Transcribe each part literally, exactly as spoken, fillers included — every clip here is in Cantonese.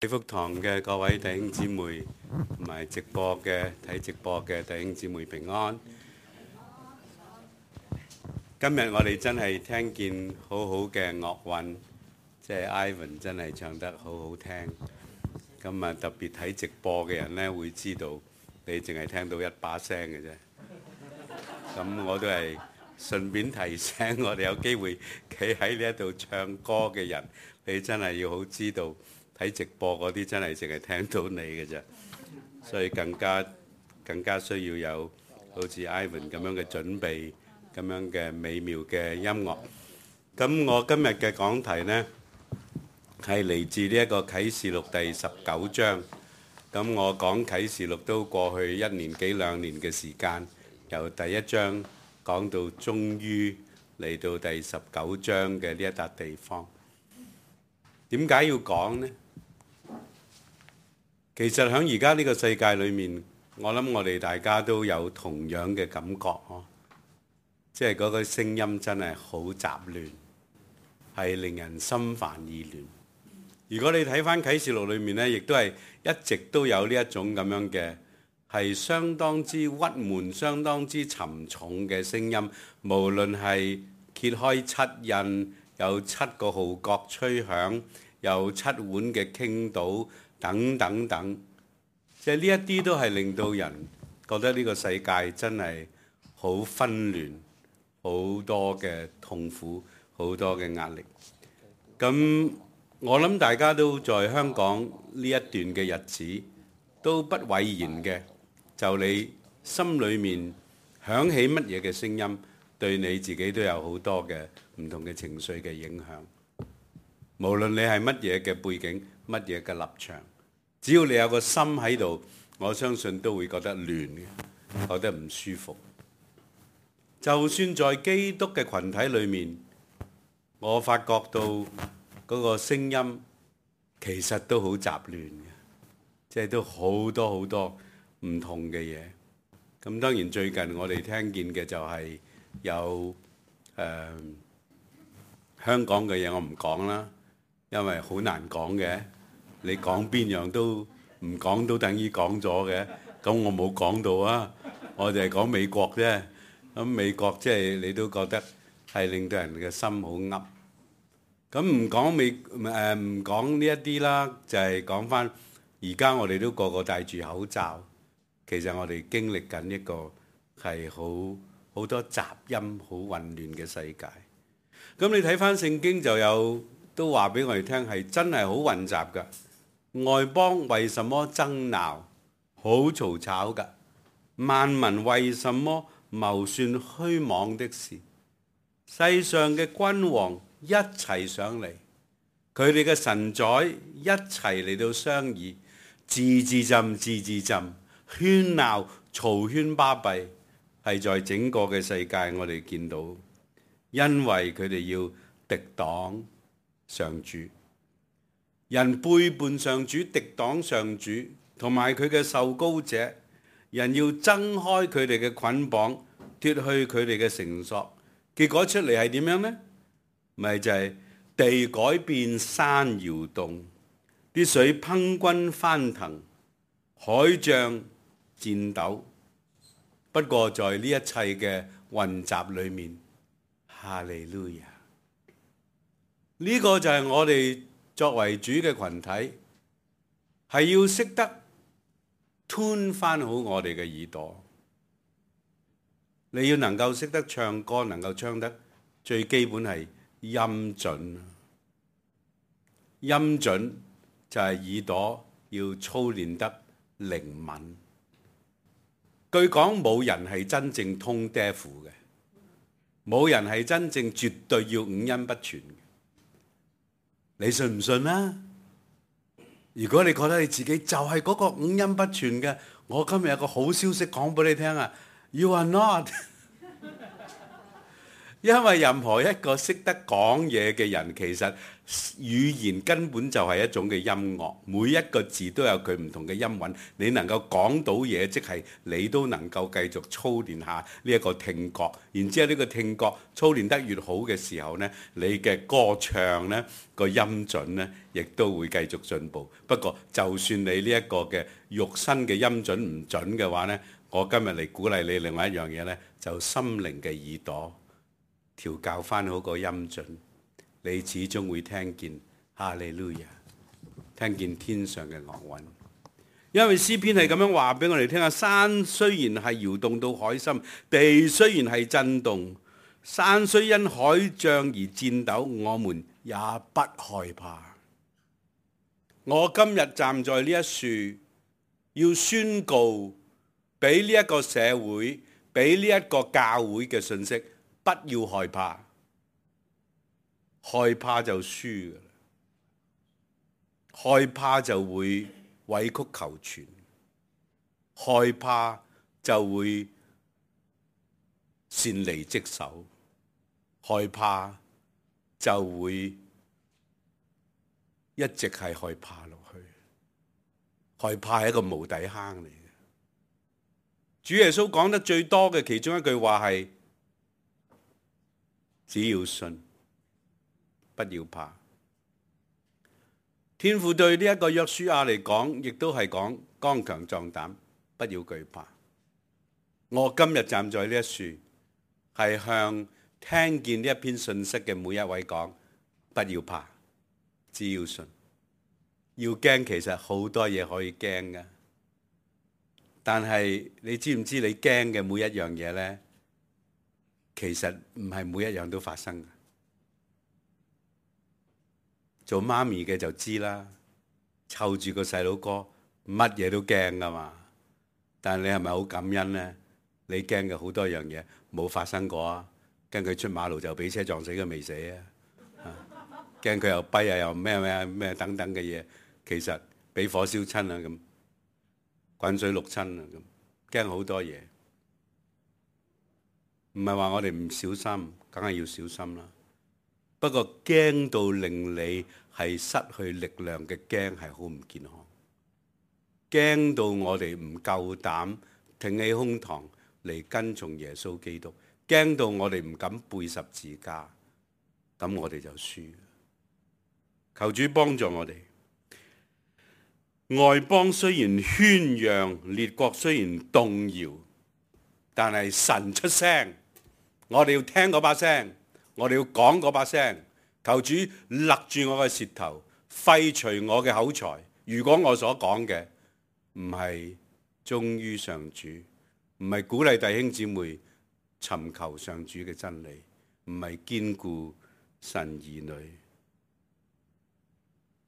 喜福堂嘅各位弟兄姊妹，同埋直播嘅睇直播嘅弟兄姊妹平安。今日我哋真係聽見好好嘅樂韻，即係 Ivan 真係唱得好好聽。咁啊，特別睇直播嘅人呢，會知道你淨係聽到一把聲嘅啫。咁我都係順便提醒我哋有機會企喺呢一度唱歌嘅人，你真係要好知道。睇直播嗰啲真係淨係聽到你嘅啫，所以更加更加需要有好似 Ivan 咁樣嘅準備，咁樣嘅美妙嘅音樂。咁我今日嘅講題呢係嚟自呢一個啟示錄第十九章。咁我講啟示錄都過去一年幾兩年嘅時間，由第一章講到終於嚟到第十九章嘅呢一笪地方。點解要講呢？其實喺而家呢個世界裏面，我諗我哋大家都有同樣嘅感覺呵，即係嗰個聲音真係好雜亂，係令人心煩意亂。如果你睇返啟示錄裏面呢，亦都係一直都有呢一種咁樣嘅，係相當之鬱悶、相當之沉重嘅聲音。無論係揭開七印，有七個號角吹響，有七碗嘅傾倒。等等等，即係呢一啲都係令到人覺得呢個世界真係好紛亂，好多嘅痛苦，好多嘅壓力。咁我諗大家都在香港呢一段嘅日子都不諱言嘅，就你心裏面響起乜嘢嘅聲音，對你自己都有好多嘅唔同嘅情緒嘅影響。無論你係乜嘢嘅背景，乜嘢嘅立場，只要你有個心喺度，我相信都會覺得亂嘅，覺得唔舒服。就算在基督嘅群體裏面，我發覺到嗰個聲音其實都好雜亂嘅，即係都好多好多唔同嘅嘢。咁當然最近我哋聽見嘅就係有誒、呃、香港嘅嘢，我唔講啦。因為好難講嘅，你講邊樣都唔講都等於講咗嘅，咁我冇講到啊，我就係講美國啫。咁美國即係你都覺得係令到人嘅心好噏。咁唔講美誒唔講呢一啲啦，就係講翻而家我哋都個個戴住口罩，其實我哋經歷緊一個係好好多雜音、好混亂嘅世界。咁你睇翻聖經就有。都話俾我哋聽係真係好混雜㗎。外邦為什麼爭鬧，好嘈吵㗎？萬民為什麼謀算虛妄的事？世上嘅君王一齊上嚟，佢哋嘅臣宰一齊嚟到商議，字字斟字字斟，喧鬧嘈喧巴閉，係在整個嘅世界我哋見到，因為佢哋要敵擋上主，人背叛上主，敵擋上主，同埋佢嘅受膏者，人要掙開佢哋嘅捆綁，脫去佢哋嘅繩索，結果出嚟係點樣呢？咪就係、是、地改變，山搖動，啲水匉訇翻騰，海漲戰抖。不過在呢一切嘅混雜裏面，哈利路亞。呢個就係我哋作為主嘅群體，係要識得吞翻好我哋嘅耳朵。你要能夠識得唱歌，能夠唱得最基本係音準。音準就係耳朵要操練得靈敏。據講冇人係真正通 deaf 嘅，冇人係真正絕對要五音不全嘅。你信唔信啊？如果你覺得你自己就係嗰個五音不全嘅，我今日有個好消息講俾你聽啊 ！You are not，因為任何一個識得講嘢嘅人，其實語言根本就係一種嘅音樂，每一個字都有佢唔同嘅音韻。你能夠講到嘢，即係你都能夠繼續操練下呢一個聽覺。然之後呢個聽覺操練得越好嘅時候呢，你嘅歌唱呢個音準呢，亦都會繼續進步。不過就算你呢一個嘅肉身嘅音準唔準嘅話呢，我今日嚟鼓勵你另外一樣嘢呢，就心靈嘅耳朵。調教翻好個音準，你始終會聽見哈利路亞，聽見天上嘅樂韻。因為詩篇係咁樣話俾我哋聽啊，山雖然係搖動到海深，地雖然係震動，山雖因海漲而顫抖，我們也不害怕。我今日站在呢一樹，要宣告俾呢一個社會，俾呢一個教會嘅信息。不要害怕，害怕就輸㗎喇，害怕就會委曲求全，害怕就會擅離職守，害怕就會一直係害怕落去，害怕係一個無底坑嚟嘅。主耶穌講得最多嘅其中一句話係：只要信，不要怕。天父對呢一個約書亞嚟講，亦都係講剛強壯膽，不要懼怕。我今日站在呢一樹，係向聽見呢一篇信息嘅每一位講：不要怕，只要信。要驚，其實好多嘢可以驚㗎，但係你知唔知你驚嘅每一樣嘢呢？其實唔係每一樣都發生嘅。做媽咪嘅就知啦，湊住個細佬哥，乜嘢都驚噶嘛。但係你係咪好感恩呢？你驚嘅好多樣嘢冇發生過啊！驚佢出馬路就俾車撞死佢未死啊！驚佢又跛啊，又咩咩咩等等嘅嘢，其實俾火燒親啊咁，滾水淥親啊咁，驚好多嘢。唔係話我哋唔小心，梗係要小心啦。不過驚到令你係失去力量嘅驚係好唔健康。驚到我哋唔夠膽挺起胸膛嚟跟從耶穌基督，驚到我哋唔敢背十字架，咁我哋就輸。求主幫助我哋。外邦雖然喧嚷，列國雖然動搖，但係神出聲。我哋要聽嗰把聲，我哋要講嗰把聲。求主勒住我嘅舌頭，廢除我嘅口才。如果我所講嘅唔係忠於上主，唔係鼓勵弟兄姊妹尋求上主嘅真理，唔係堅固神兒女，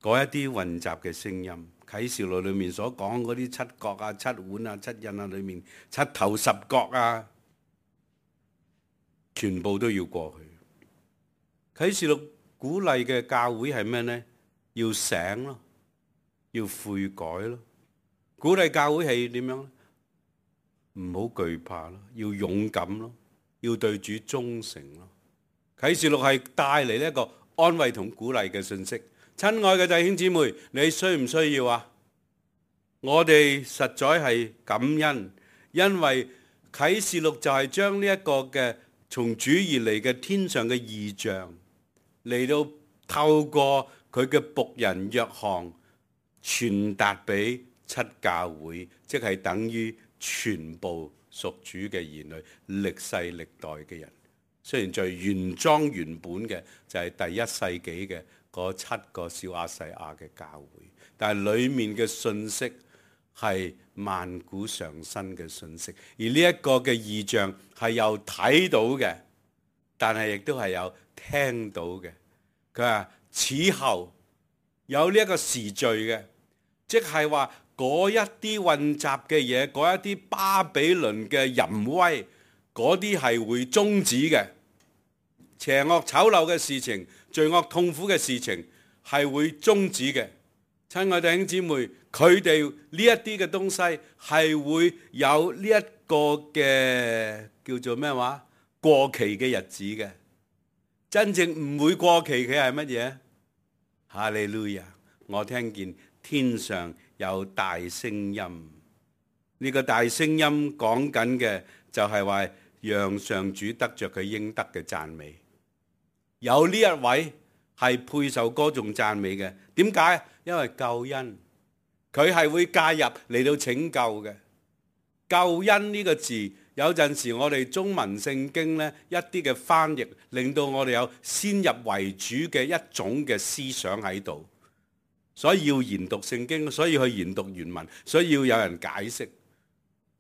嗰一啲混雜嘅聲音，啟示錄裏面所講嗰啲七角啊、七碗啊、七印啊裏面七頭十角啊，全部都要過去。啟示錄鼓勵嘅教會係咩呢？要醒咯，要悔改咯。鼓勵教會係點樣呢？唔好懼怕咯，要勇敢咯，要對主忠誠咯。啟示錄係帶嚟呢一個安慰同鼓勵嘅信息。親愛嘅弟兄姊妹，你需唔需要啊？我哋實在係感恩，因為啟示錄就係將呢一個嘅從主而嚟嘅天上嘅異象嚟到透過佢嘅僕人約翰傳達俾七教會，即係等於全部屬主嘅兒女，歷世歷代嘅人。雖然最原裝原本嘅就係第一世紀嘅嗰七個小亞細亞嘅教會，但係裡面嘅信息係萬古常新嘅信息，而呢一個嘅異象係有睇到嘅，但係亦都係有聽到嘅。佢話此後有呢一個時序嘅，即係話嗰一啲混雜嘅嘢，嗰一啲巴比倫嘅淫威，嗰啲係會終止嘅。邪惡醜陋嘅事情，罪惡痛苦嘅事情係會終止嘅。親愛弟兄姊妹，佢哋呢一啲嘅東西係會有呢一個嘅叫做咩話過期嘅日子嘅。真正唔會過期嘅係乜嘢？哈利路亞！我聽見天上有大聲音，呢個大聲音講緊嘅就係話讓上主得着佢應得嘅讚美。有呢一位係配受歌頌讚美嘅，點解？因為救恩，佢係會介入嚟到拯救嘅。救恩呢個字，有陣時我哋中文聖經呢一啲嘅翻譯，令到我哋有先入為主嘅一種嘅思想喺度，所以要研讀聖經，所以去研讀原文，所以要有人解釋。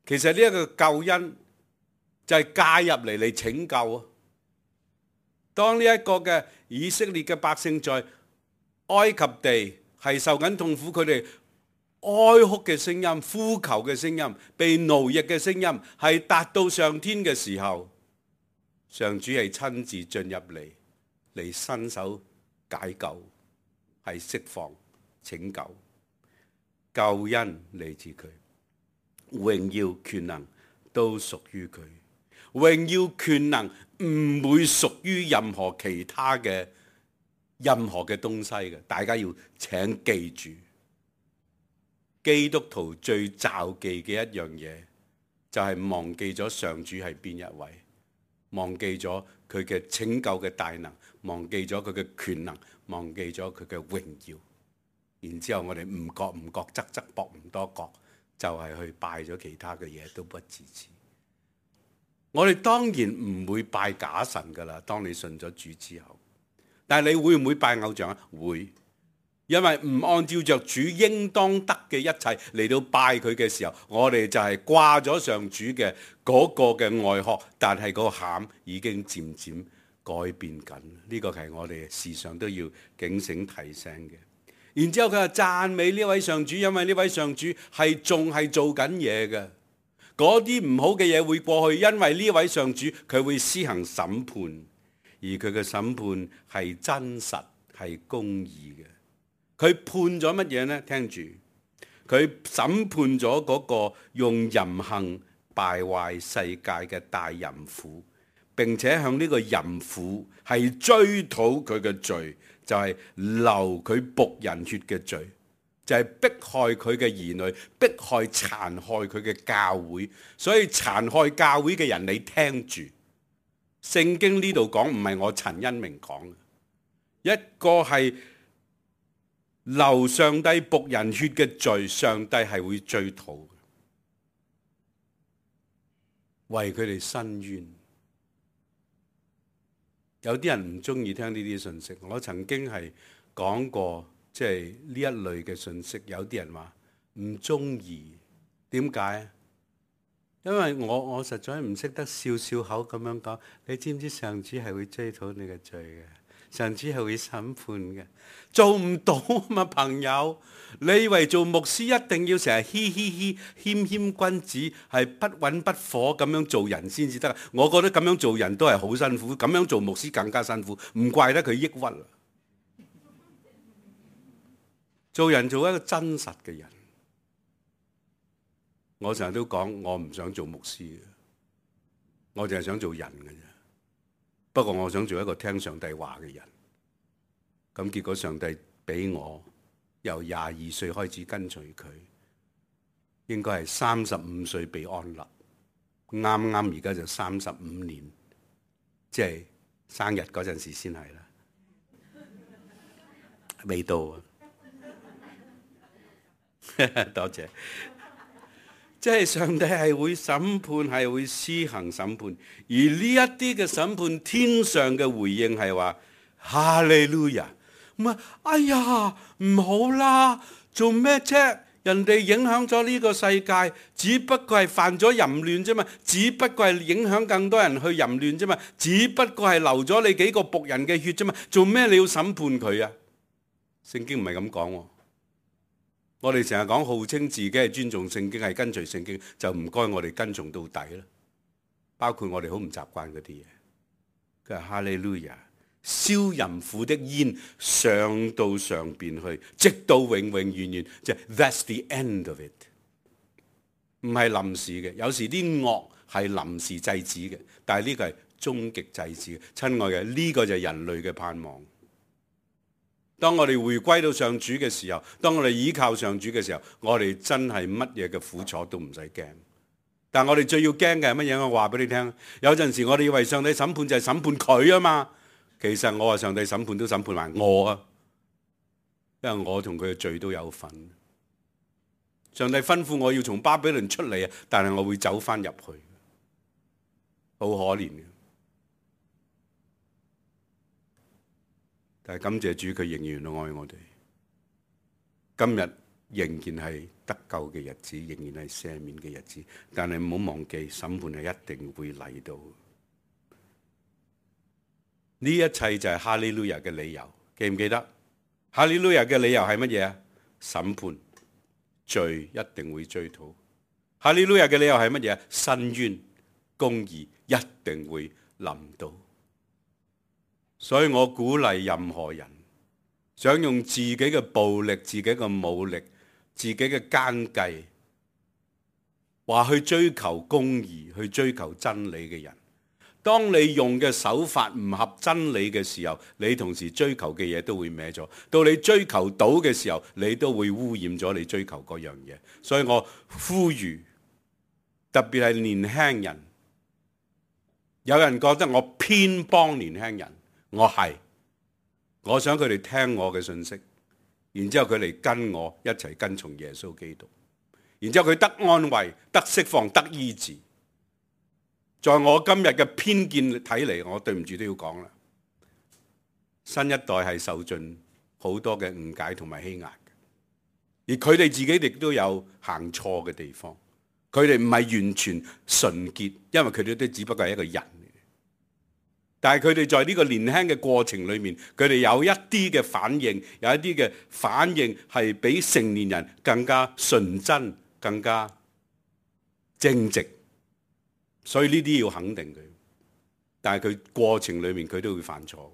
其實呢一個救恩就係介入嚟嚟拯救啊！當呢一個嘅以色列嘅百姓在埃及地係受緊痛苦，佢哋哀哭嘅聲音、呼求嘅聲音、被奴役嘅聲音，係達到上天嘅時候，上主係親自進入嚟，嚟伸手解救，係釋放、拯救。救恩嚟自佢，榮耀權能都屬於佢，榮耀權能唔會屬於任何其他嘅任何嘅東西嘅。大家要請記住。基督徒最罩忌嘅一樣嘢，就係忘記咗上主係邊一位，忘記咗佢嘅拯救嘅大能，忘記咗佢嘅權能，忘記咗佢嘅榮耀。然之後我哋唔覺唔覺，側側膊唔多覺，就係去拜咗其他嘅嘢，都不自知。我哋當然唔會拜假神噶啦，當你信咗主之後。但係你會唔會拜偶像啊？會。因為唔按照着主應當得嘅一切嚟到拜佢嘅時候，我哋就係掛咗上主嘅嗰個嘅外殼，但係個餡已經漸漸改變緊。呢個係我哋時常都要警醒提醒嘅。然之後佢話讚美呢位上主，因為呢位上主係仲係做緊嘢嘅。嗰啲唔好嘅嘢會過去，因為呢位上主佢會施行審判，而佢嘅審判係真實係公義嘅。佢判咗乜嘢呢？聽住，佢審判咗嗰個用淫行敗壞世界嘅大淫婦，並且向呢個淫婦係追討佢嘅罪，就係流佢僕人血嘅罪，就係迫害佢嘅兒女，迫害殘害佢嘅教會。所以殘害教會嘅人，你聽住，聖經呢度講唔係我陳恩明講嘅，一個係流上帝僕人血嘅罪，上帝係會追討嘅，為佢哋伸冤。有啲人唔中意聽呢啲信息，我曾經係講過，即係呢一類嘅信息，有啲人話唔中意，點解？因為我我實在唔識得笑笑口咁樣講。你知唔知上主係會追討你嘅罪嘅？上主係會審判嘅，做唔到啊嘛，朋友！你以為做牧師一定要成日嘻嘻嘻謙謙君子，係不溫不火咁樣做人先至得？我覺得咁樣做人都係好辛苦，咁樣做牧師更加辛苦，唔怪得佢抑鬱啦。做人做一個真實嘅人，我成日都講，我唔想做牧師嘅，我淨係想做人嘅啫。不過我想做一個聽上帝話嘅人，咁結果上帝俾我由廿二歲開始跟隨佢，應該係三十五歲被安立，啱啱而家就三十五年，即係生日嗰陣時先係啦，未到啊！多謝。即係上帝係會審判，係會施行審判，而呢一啲嘅審判，天上嘅回應係話哈利路亞，唔係哎呀唔好啦，做咩啫？人哋影響咗呢個世界，只不過係犯咗淫亂啫嘛，只不過係影響更多人去淫亂啫嘛，只不過係流咗你幾個僕人嘅血啫嘛，做咩你要審判佢啊？聖經唔係咁講喎。我哋成日講號稱自己係尊重聖經，係跟隨聖經，就唔該我哋跟從到底啦。包括我哋好唔習慣嗰啲嘢。佢話哈利路亞，燒淫婦的煙上到上邊去，直到永永遠遠，即係 that's the end of it。唔係臨時嘅，有時啲惡係臨時制止嘅，但係呢個係終極祭祀。親愛嘅，呢個就係人類嘅盼望。當我哋回歸到上主嘅時候，當我哋依靠上主嘅時候，我哋真係乜嘢嘅苦楚都唔使驚。但我哋最要驚嘅係乜嘢？我話俾你聽，有陣時我哋以為上帝審判就係審判佢啊嘛，其實我話上帝審判都審判埋我啊，因為我同佢嘅罪都有份。上帝吩咐我要從巴比倫出嚟啊，但係我會走翻入去，好可憐嘅。但係感謝主，佢仍然愛我哋。今日仍然係得救嘅日子，仍然係赦免嘅日子。但係唔好忘記，審判係一定會嚟到。呢一切就係哈利路亞嘅理由，記唔記得？哈利路亞嘅理由係乜嘢啊？審判，罪一定會追討。哈利路亞嘅理由係乜嘢啊？申冤，公義一定會臨到。所以我鼓勵任何人想用自己嘅暴力、自己嘅武力、自己嘅奸計，話去追求公義、去追求真理嘅人，當你用嘅手法唔合真理嘅時候，你同時追求嘅嘢都會歪咗。到你追求到嘅時候，你都會污染咗你追求嗰樣嘢。所以我呼籲，特別係年輕人，有人覺得我偏幫年輕人。我係，我想佢哋聽我嘅信息，然之後佢哋跟我一齊跟從耶穌基督，然之後佢得安慰、得釋放、得醫治。在我今日嘅偏見睇嚟，我對唔住都要講啦，新一代係受盡好多嘅誤解同埋欺壓嘅，而佢哋自己亦都有行錯嘅地方，佢哋唔係完全純潔，因為佢哋都只不過係一個人。但係佢哋在呢個年輕嘅過程裏面，佢哋有一啲嘅反應，有一啲嘅反應係比成年人更加純真、更加正直，所以呢啲要肯定佢。但係佢過程裏面佢都會犯錯，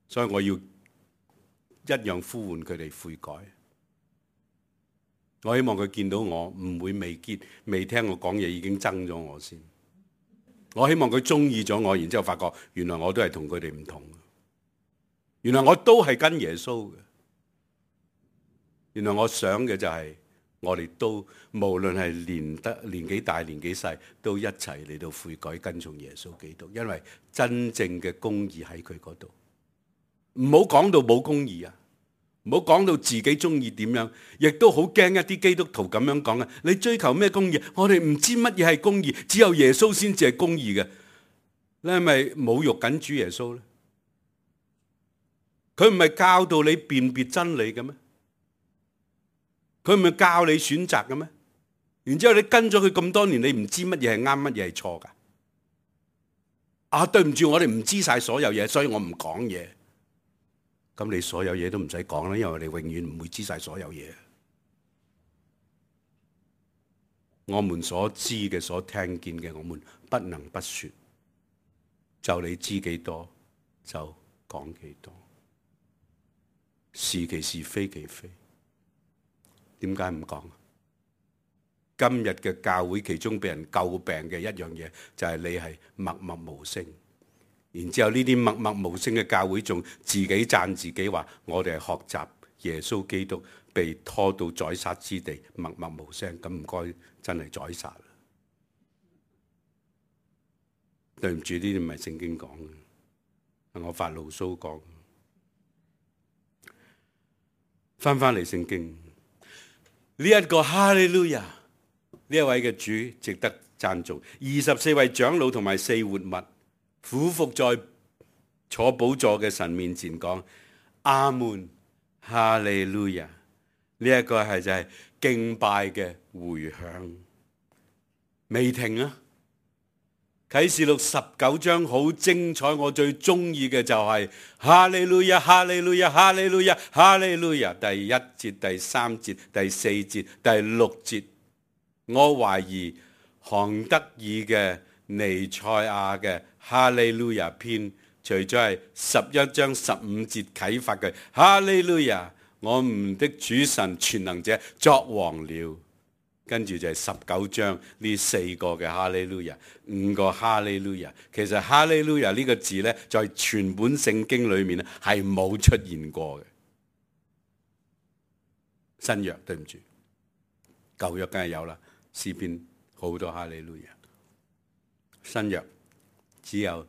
所以我要一樣呼喚佢哋悔改。我希望佢見到我唔會未見未聽我講嘢已經憎咗我先。我希望佢中意咗我，然之後發覺原來我都係同佢哋唔同，原來我都係跟耶穌嘅。原來我想嘅就係我哋都無論係年得年紀大年紀細，都一齊嚟到悔改跟從耶穌基督，因為真正嘅公義喺佢嗰度。唔好講到冇公義啊！唔好講到自己中意點樣，亦都好驚一啲基督徒咁樣講啊！你追求咩公義？我哋唔知乜嘢係公義，只有耶穌先至係公義嘅。你係咪侮辱緊主耶穌咧？佢唔係教導你辨別真理嘅咩？佢唔係教你選擇嘅咩？然之後你跟咗佢咁多年，你唔知乜嘢係啱，乜嘢係錯噶？啊，對唔住，我哋唔知晒所有嘢，所以我唔講嘢。咁你所有嘢都唔使講啦，因為我哋永遠唔會知晒所有嘢。我們所知嘅、所聽見嘅，我們不能不說。就你知幾多，就講幾多。是其是，非其非。點解唔講？今日嘅教會其中俾人詬病嘅一樣嘢，就係你係默默無聲。然之後呢啲默默無聲嘅教會仲自己讚自己話，我哋係學習耶穌基督被拖到宰殺之地，默默無聲。咁唔該，真係宰殺啦！對唔住，呢啲唔係聖經講嘅，係我發牢騷講。翻翻嚟聖經，呢一個哈利路亞，呢一位嘅主值得讚頌。二十四位長老同埋四活物，俯伏在坐寶座嘅神面前講：阿門，哈利路亞！呢一個係就係敬拜嘅回響，未停啊！啟示錄十九章好精彩，我最中意嘅就係哈利路亞，哈利路亞，哈利路亞，哈利路亞！第一節、第三節、第四節、第六節，我懷疑韓德爾嘅尼賽亞嘅哈利路亞篇，除咗係十一章十五節啟發嘅哈利路亞，我們的主神全能者作王了，跟住就係十九章呢四個嘅哈利路亞，五個哈利路亞。其實哈利路亞呢個字呢，在全本聖經裏面咧係冇出現過嘅。新約對唔住，舊約梗係有啦，詩篇好多哈利路亞。新約只有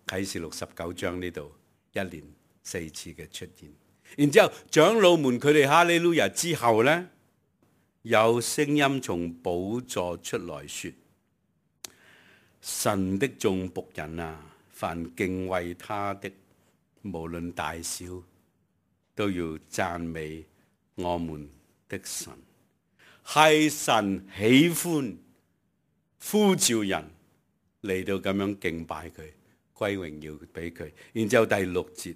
啟示錄十九章呢度一連四次嘅出現。然之後長老們佢哋哈利路亞之後呢，有聲音從寶座出來說：神的眾僕人啊，凡敬畏他的，無論大小，都要讚美我們的神。係神喜歡呼召人嚟到咁樣敬拜佢，歸榮耀俾佢。然之後第六節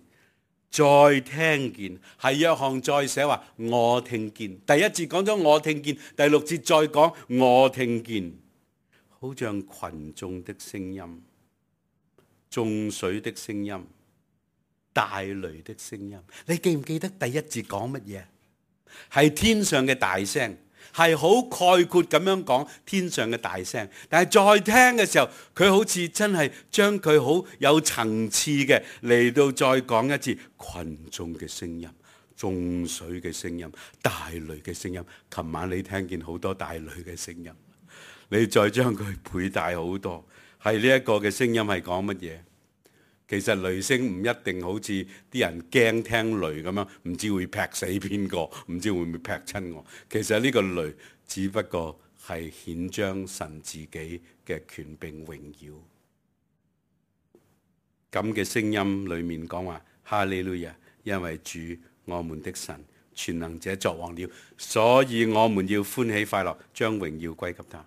再聽見，係約翰再寫話我聽見。第一節講咗我聽見，第六節再講我聽見，好像群眾的聲音、眾水的聲音、大雷的聲音。你記唔記得第一節講乜嘢？係天上嘅大聲，係好概括咁樣講天上嘅大聲。但係再聽嘅時候，佢好似真係將佢好有層次嘅嚟到再講一次群眾嘅聲音、眾水嘅聲音、大雷嘅聲音。琴晚你聽見好多大雷嘅聲音，你再將佢倍大好多。係呢一個嘅聲音係講乜嘢？其實雷聲唔一定好似啲人驚聽雷咁樣，唔知會劈死邊個，唔知會唔會劈親我。其實呢個雷只不過係顯彰神自己嘅權柄榮耀。咁嘅聲音裏面講話哈利路亞，因為主我們的神全能者作王了，所以我們要歡喜快樂，將榮耀歸給他。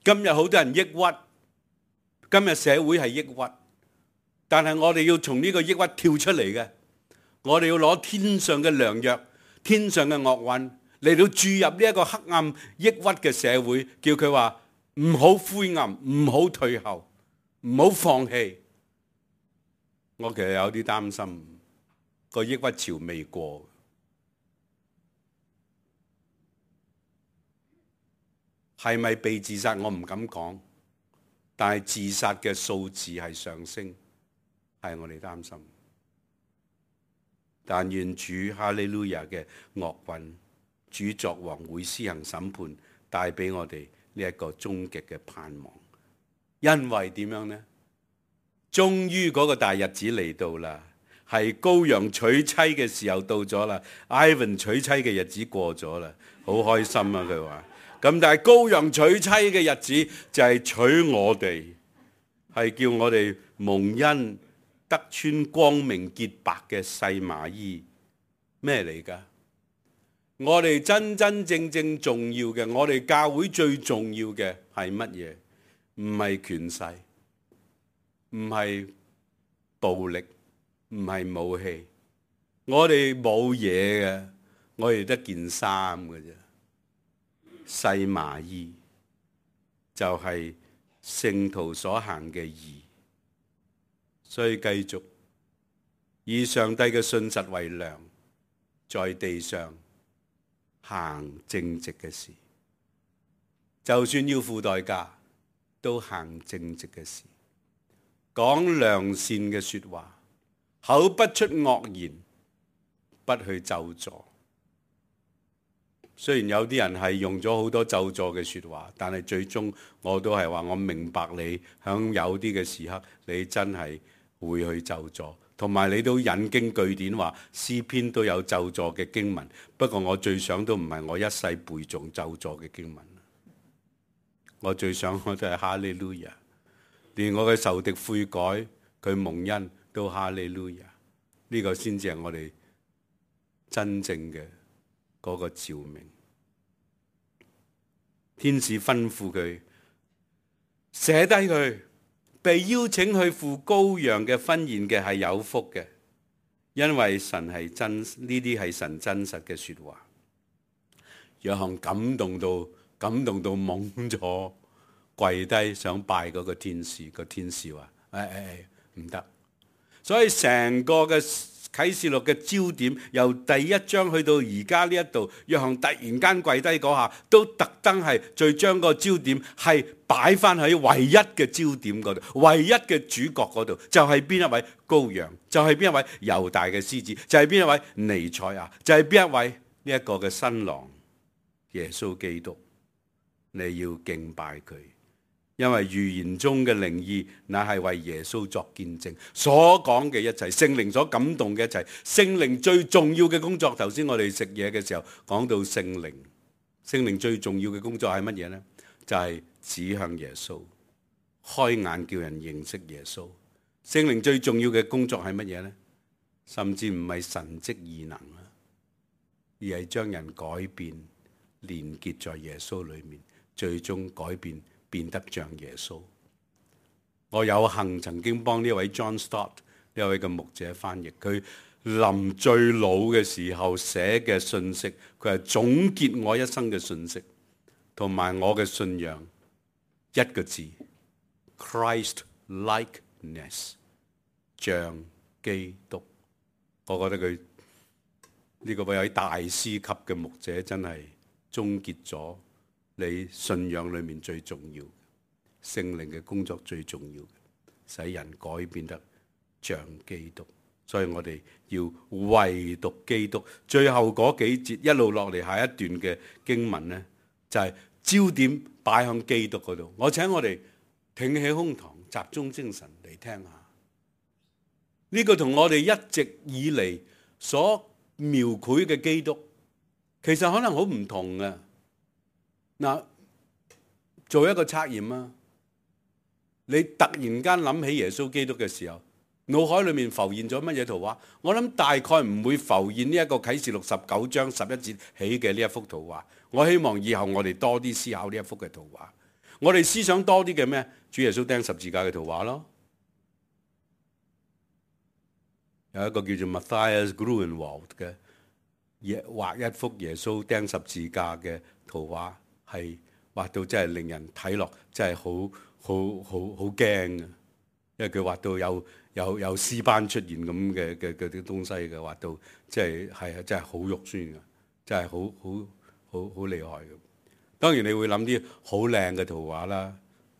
今日好多人抑鬱，今日社會係抑鬱。但係我哋要從呢個抑鬱跳出嚟嘅，我哋要攞天上嘅良藥、天上嘅樂韻嚟到注入呢一個黑暗抑鬱嘅社會，叫佢話唔好灰暗，唔好退後，唔好放棄。我其實有啲擔心，個抑鬱潮未過，係咪被自殺我唔敢講，但係自殺嘅數字係上升。係我哋擔心，但願主哈利路亞嘅樂韻，主作王會施行審判，帶俾我哋呢一個終極嘅盼望。因為點樣呢？終於嗰個大日子嚟到啦，係羔羊娶妻嘅時候到咗啦。Ivan 娶妻嘅日子過咗啦，好開心啊！佢話咁，但係羔羊娶妻嘅日子就係娶我哋，係叫我哋蒙恩。得穿光明潔白嘅細麻衣，咩嚟㗎？我哋真真正正重要嘅，我哋教會最重要嘅係乜嘢？唔係權勢，唔係暴力，唔係武器。我哋冇嘢嘅，我哋得件衫嘅啫。細麻衣就係聖徒所行嘅義。所以繼續以上帝嘅信實為糧，在地上行正直嘅事，就算要付代價，都行正直嘅事，講良善嘅說話，口不出惡言，不去咒詛。雖然有啲人係用咗好多咒詛嘅說話，但係最終我都係話我明白你響有啲嘅時刻，你真係會去咒詛，同埋你都引經據典話詩篇都有咒詛嘅經文。不過我最想都唔係我一世背誦咒詛嘅經文，我最想我都係哈利路亞，連我嘅仇敵悔改，佢蒙恩都哈利路亞。呢個先至係我哋真正嘅嗰個召命。天使吩咐佢寫低佢。被邀請去赴羔羊嘅婚宴嘅係有福嘅，因為神係真，呢啲係神真實嘅說話。約翰感動到感動到懵咗，跪低想拜嗰個天使，個天使話：誒誒誒，唔得。所以成個嘅啟示錄嘅焦點，由第一章去到而家呢一度，約翰突然間跪低嗰下，都特登係再將個焦點係擺翻喺唯一嘅焦點嗰度，唯一嘅主角嗰度，就係邊一位羔羊，就係邊一位猶大嘅獅子，就係邊一位彌賽亞，就係邊一位呢一個嘅新郎耶穌基督。你要敬拜佢。因為預言中嘅靈意，乃係為耶穌作見證，所講嘅一切，聖靈所感動嘅一切，聖靈最重要嘅工作。頭先我哋食嘢嘅時候講到聖靈，聖靈最重要嘅工作係乜嘢呢？就係指向耶穌，開眼叫人認識耶穌。聖靈最重要嘅工作係乜嘢呢？甚至唔係神蹟異能啊，而係將人改變，連結在耶穌裏面，最終改變。變得像耶穌。我有幸曾經幫呢位 John Stott 呢位嘅牧者翻譯，佢臨最老嘅時候寫嘅信息，佢係總結我一生嘅信息同埋我嘅信仰，一個字 Christ likeness， 像基督。我覺得佢呢個位大師級嘅牧者真係終結咗你信仰裏面最重要聖靈嘅工作，最重要嘅使人改變得像基督。所以我哋要唯獨基督。最後嗰幾節一路落嚟，下一段嘅經文呢，就係焦點擺向基督嗰度。我請我哋挺起胸膛，集中精神嚟聽下呢個同我哋一直以嚟所描繪嘅基督，其實可能好唔同嘅。嗱，做一個測驗啊！你突然間諗起耶穌基督嘅時候，腦海裏面浮現咗乜嘢圖畫？我諗大概唔會浮現呢一個啟示錄十九章十一節起嘅呢一幅圖畫。我希望以後我哋多啲思考呢一幅嘅圖畫。我哋思想多啲嘅咩？主耶穌釘十字架嘅圖畫咯。有一個叫做 Matthias Grunewald 嘅畫一幅耶穌釘十字架嘅圖畫。係畫到真係令人睇落真係好好好好驚嘅，因為佢畫到有有有屍斑出現咁嘅嘅嘅啲東西嘅，畫到即係係真係好肉酸嘅，真係好好好好厲害嘅。當然你會諗啲好靚嘅圖畫啦，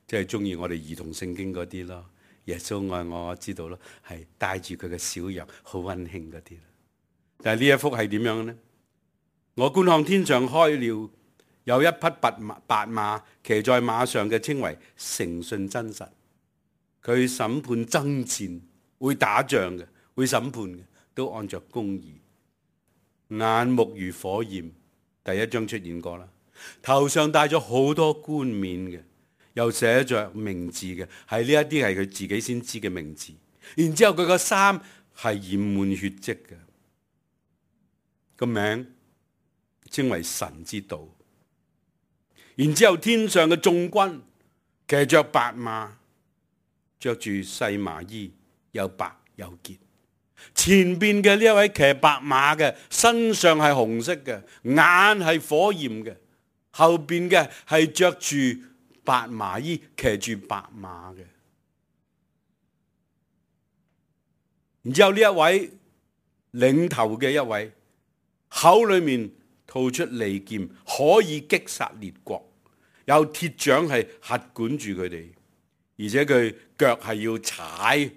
即係中意我哋兒童聖經嗰啲咯，耶穌愛我，我知道咯，係帶住佢嘅小羊，好溫馨嗰啲。但係呢一幅係點樣呢？我觀看天上開了。有一匹白馬，白馬騎在馬上嘅，稱為誠信真實。佢審判爭戰，會打仗嘅，會審判嘅，都按着公義。眼目如火焰，第一章出現過啦。頭上戴咗好多冠冕嘅，又寫着名字嘅，係呢一啲係佢自己先知嘅名字。然之後佢個衫係染滿血跡嘅，個名稱為神之道。然之後天上嘅眾軍騎着白馬，着住細麻衣，又白又潔。前邊嘅呢一位騎白馬嘅，身上係紅色嘅，眼係火焰嘅。後邊嘅係着住白麻衣，騎住白馬嘅。然之後呢一位領頭嘅一位，口裏面吐出利劍，可以擊殺列國，有鐵掌係轄管住佢哋，而且佢腳係要踩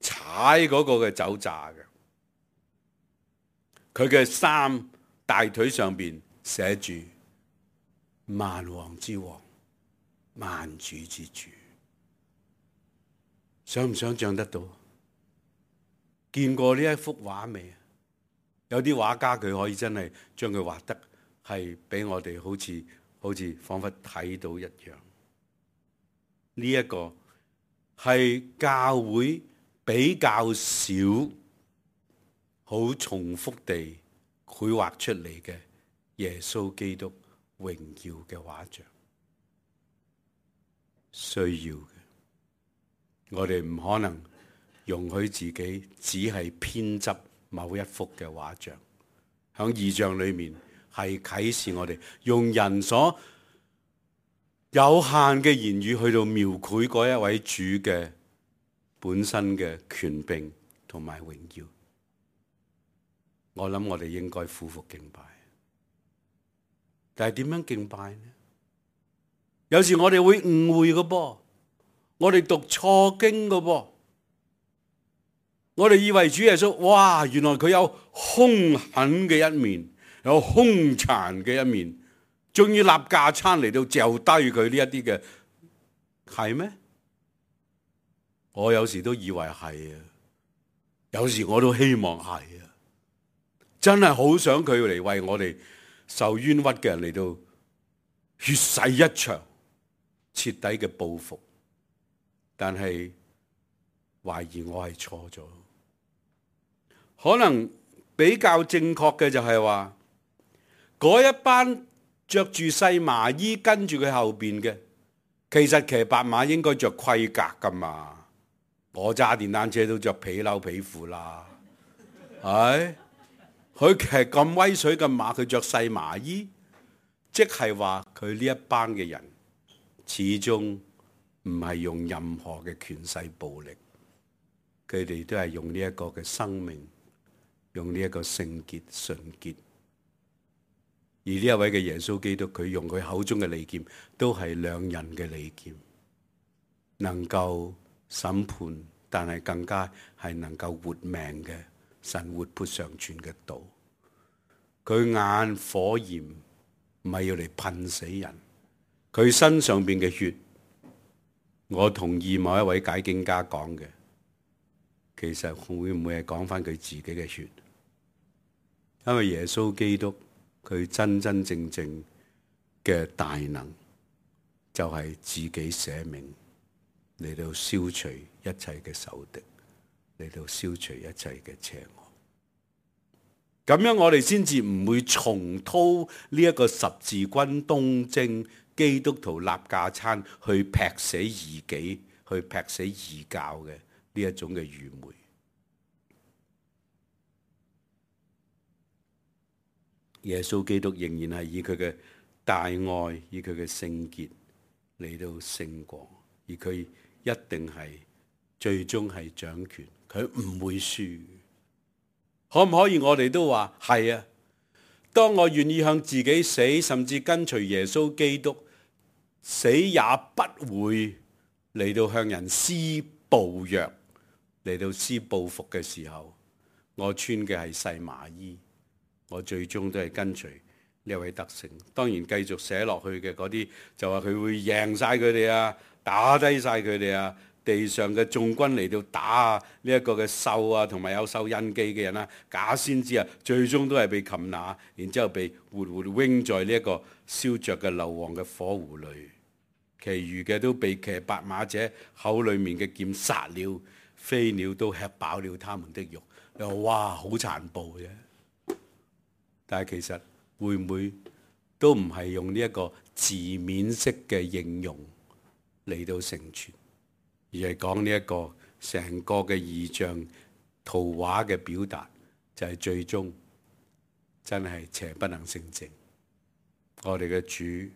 踩嗰個嘅酒醡嘅。佢嘅衫大腿上邊寫住萬王之王，萬主之主。想唔想象得到？見過呢一幅畫未？有啲畫家佢可以真係將佢畫得係俾我哋好似好似彷彿睇到一樣。呢一個係教會比較少好重複地繪畫出嚟嘅耶穌基督榮耀嘅畫像。需要嘅，我哋唔可能容許自己只係偏執某一幅嘅畫像，喺異象裏面係啟示我哋用人所有限嘅言語去到描繪嗰一位主嘅本身嘅權柄同埋榮耀。我諗我哋應該俯伏敬拜。但係點樣敬拜呢？有時我哋會誤會嘅噃，我哋讀錯經嘅噃，我哋以為主耶穌，哇，原來佢有兇狠嘅一面，有兇殘嘅一面，終於立架撐嚟到嚼低佢呢一啲嘅，係咩？我有時都以為係啊，有時我都希望係啊，真係好想佢嚟為我哋受冤屈嘅人嚟到血洗一場，徹底嘅報復。但係懷疑我係錯咗，可能比較正確嘅就係話，嗰一班着住細麻衣跟住佢後邊嘅，其實騎白馬應該着盔甲噶嘛。我揸電單車都着皮褸皮褲啦，係佢騎咁威水嘅馬，佢着細麻衣，即係話佢呢一班嘅人始終唔係用任何嘅權勢暴力，佢哋都係用呢一個嘅生命，用呢一個聖潔純潔。而呢一位嘅耶穌基督，佢用佢口中嘅利劍，都係兩刃嘅利劍，能夠審判，但係更加係能夠活命嘅神活潑常存嘅道。佢眼火焰唔係要嚟噴死人，佢身上邊嘅血，我同意某一位解經家講嘅，其實會唔會係講翻佢自己嘅血？因為耶穌基督佢真真正正嘅大能，就係自己捨命嚟到消除一切嘅仇敵，嚟到消除一切嘅邪惡。咁樣我哋先至唔會重蹈呢一個十字軍東征基督徒立架撐去劈死異己，去劈死異教嘅呢一種嘅愚昧。耶穌基督仍然係以佢嘅大愛，以佢嘅聖潔嚟到勝過，而佢一定係最終係掌權，佢唔會輸。可唔可以我哋都話係啊？當我願意向自己死，甚至跟隨耶穌基督，死也不會嚟到向人施暴虐，嚟到施報復嘅時候，我穿嘅係細麻衣，我最終都係跟隨呢位得勝。當然繼續寫落去嘅嗰啲就話佢會贏晒佢哋啊，打低晒佢哋啊，地上嘅眾軍嚟到打啊，呢一個嘅獸啊，同埋有獸印記嘅人啊，假先知啊，最終都係被擒拿，然之後被活活扔在呢一個燒着嘅硫磺嘅火湖裏，其餘嘅都被騎白馬者口裏面嘅劍殺了，飛鳥都吃飽了他們的肉。你話哇，好殘暴啫！但係其實會唔會都唔係用呢一個字面式嘅應用嚟到成全，而係講呢一個成個嘅異象圖畫嘅表達，就係、是、最終真係邪不能勝正。我哋嘅主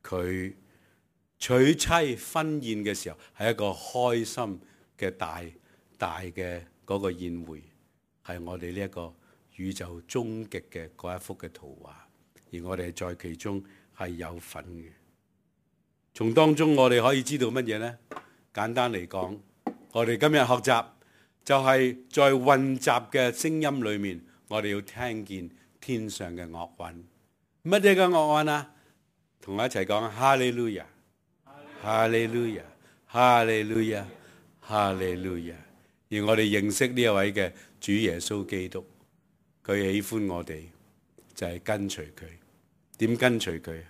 佢娶妻婚宴嘅時候係一個開心嘅大大嘅嗰個宴會，係我哋呢一個宇宙終極嘅嗰一幅嘅圖畫，而我哋在其中係有份嘅。從當中我哋可以知道乜嘢呢？簡單嚟講，我哋今日學習就係在混雜嘅聲音裏面，我哋要聽見天上嘅樂韻。乜嘢嘅樂韻啊？同我一齊講哈利路亞，哈利路亞，哈利路亞，哈利路亞。而我哋認識呢一位嘅主耶穌基督，佢喜歡我哋就係跟隨佢。點跟隨佢？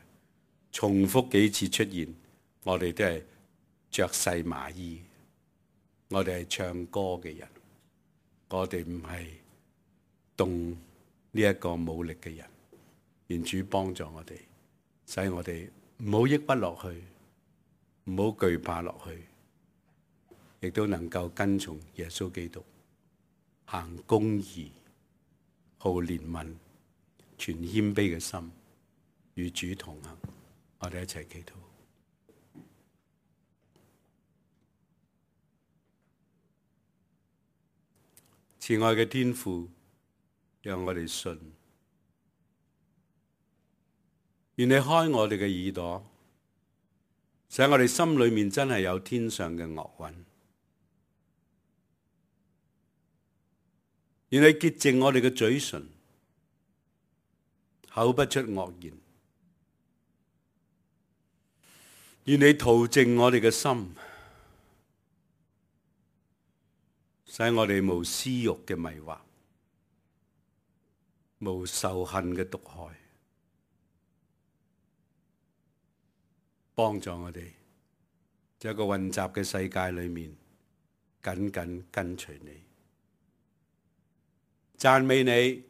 重複幾次出現，我哋都係着細麻衣，我哋係唱歌嘅人，我哋唔係動呢一個武力嘅人。願主幫助我哋，使我哋唔好抑鬱落去，唔好懼怕落去，亦都能夠跟從耶穌基督，行公義，好憐憫，全謙卑嘅心，與主同行。我哋一齊祈禱。慈愛嘅天父，讓我哋信。願你開我哋嘅耳朵，使我哋心裏面真係有天上嘅樂韻。願你潔淨我哋嘅嘴唇，口不出惡言。願你塗淨我哋嘅心，使我哋無私欲嘅迷惑，無仇恨嘅毒害。幫助我哋在一個混雜嘅世界裏面緊緊跟隨你。讚美你，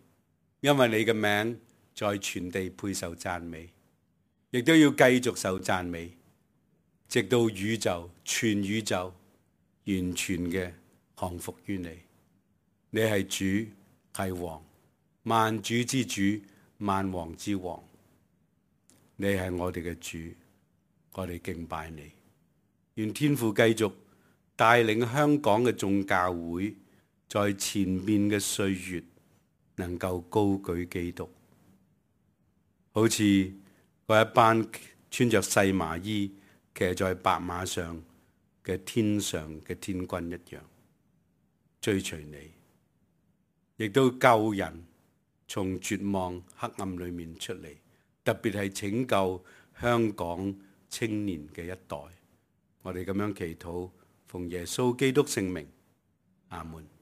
因為你嘅名在全地配受讚美，亦都要繼續受讚美，直到宇宙全宇宙完全嘅降服於你。你係主，係王，萬主之主，萬王之王。你係我哋嘅主，我哋敬拜你。願天父繼續帶領香港嘅眾教會，在前面嘅歲月能夠高舉基督，好似嗰一班穿着細麻衣騎在白馬上嘅天上嘅天軍一樣，追隨你，亦都救人從絕望黑暗裏面出嚟，特別係拯救香港青年嘅一代。我哋咁樣祈禱，奉耶穌基督聖名，阿門。